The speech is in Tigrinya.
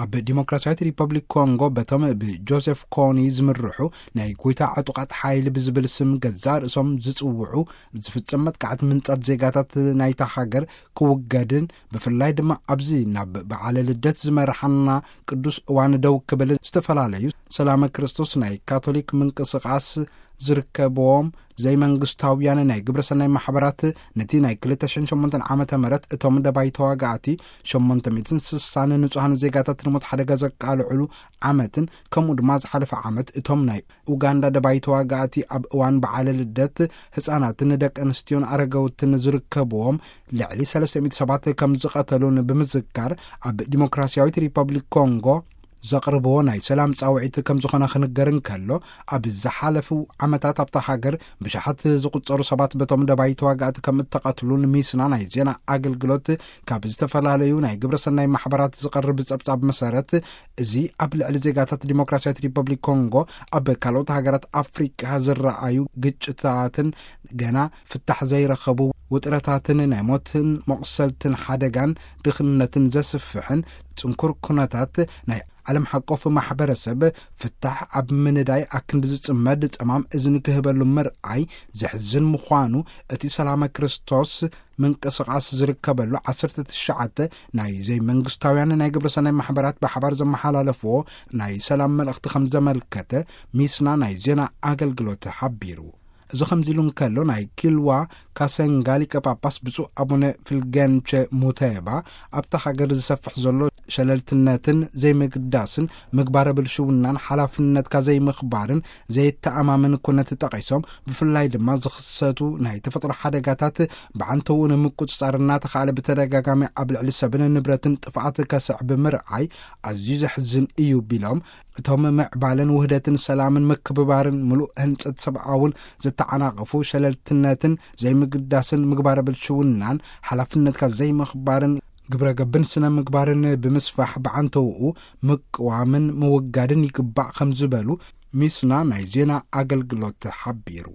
ኣብ ዲሞክራሲያዊት ሪፐብሊክ ኮንጎ በቶም ብጆሴፍ ኮኒ ዝምርሑ ናይ ጎይታ ዕጡቓት ሓይሊ ብዝብል ስም ገዛእ ርእሶም ዝጽውዑ ዝፍጸም መጥቃዕቲ ምንጻት ዜጋታት ናይታ ሃገር ክውገድን ብፍላይ ድማ ኣብዚ ናብ በዓለ ልደት ዝመርሓና ቅዱስ እዋን ደው ክብል ዝተፈላለዩ ሰላመ ክርስቶስ ናይ ካቶሊክ ምንቅስቓስ ዝርከብዎም ዘይመንግስታውያን ናይ ግብረሰናይ ማሕበራት ነቲ ናይ ክልተ ሽሕን ሸሞንተን ዓመተ ምህረት እቶም ደባይ ተዋጋእቲ ሸሞንተ ሚእትን ስሳን ንጹሃን ዜጋታት ንሞት ሓደጋ ዘቃልዕሉ ዓመትን ከምኡ ድማ ዝሓለፈ ዓመት እቶም ናይ ኡጋንዳ ደባይ ተዋጋእቲ ኣብ እዋን በዓለ ልደት ህጻናትን ደቂ ኣንስትዮን ኣረገውትን ዝርከብዎም ልዕሊ ሰለስተ ሚእቲ ሰባት ከም ዝቐተሉን ብምዝካር ኣብ ዲሞክራሲያዊት ሪፐብሊክ ኮንጎ ዘቕርብዎ ናይ ሰላም ጻውዒት ከም ዝኾነ ክንገር እንከሎ ኣብ ዝሓለፉ ዓመታት ኣብታ ሃገር ብሽሓት ዝቑጸሩ ሰባት በቶም ደባይ ተዋጋእቲ ከም እተቐትሉን ሚስና ናይ ዜና ኣገልግሎት ካብ ዝተፈላለዩ ናይ ግብረሰናይ ማሕበራት ዝቐርብ ጸብጻብ መሰረት እዚ ኣብ ልዕሊ ዜጋታት ዲሞክራሲያዊት ሪፐብሊክ ኮንጎ ኣብ ካልኦት ሃገራት ኣፍሪቃ ዝረኣዩ ግጭታትን ገና ፍታሕ ዘይረኸቡ ውጥረታትን ናይ ሞትን መቑሰልትን ሓደጋን ድኽነትን ዘስፍሕን ጽንኩር ኩነታት ናይ ዓለም ሓቆፍ ማሕበረሰብ ፍታሕ ኣብ ምንዳይ ኣክንዲ ዝጽመድ ጸማም እዝኒ ክህበሉ ምርኣይ ዘሕዝን ምዃኑ እቲ ሰላመ ክርስቶስ ምንቅስቓስ ዝርከበሉ ዓሰርተ ትሽዓተ ናይ ዘይመንግስታውያን ናይ ግብረሰናይ ማሕበራት ብሓባር ዘመሓላለፍዎ ናይ ሰላም መልእኽቲ ከም ዘመልከተ ሚስና ናይ ዜና ኣገልግሎት ሓቢሩ። እዚ ከምዚ ኢሉ እንከሎ ናይ ኪልዋ ካሰንጋ ሊቀ ጳጳስ ብፁዕ ኣቡነ ፍልገንቸ ሙተባ ኣብታ ሃገር ዝሰፍሕ ዘሎ ሸለልትነትን ዘይምግዳስን ምግባረ ብልሽውናን ሓላፍነትካ ዘይምኽባርን ዘይተኣማመን ኩነት ጠቒሶም ብፍላይ ድማ ዝኽሰቱ ናይ ተፈጥሮ ሓደጋታት ብዓንተኡ ንምቁጽጻር እናተኻእለ ብተደጋጋሚ ኣብ ልዕሊ ሰብን ንብረትን ጥፍኣት ከስዕብ ምርኣይ ኣዝዩ ዘሕዝን እዩ ቢሎም እቶም ምዕባለን ውህደትን ሰላምን ምክብባርን ምሉእ ህንጸት ሰብኣውን ዝተዓናቐፉ ሸለልትነትን ዘይምግዳስን ምግባረ ብልሽውናን ሓላፍነትካ ዘይምኽባርን ግብረ ገብን ስነ ምግባርን ብምስፋሕ ብዓንተውኡ ምቅዋምን ምውጋድን ይግባእ ከም ዝበሉ ሚስና ናይ ዜና ኣገልግሎት ሓቢሩ።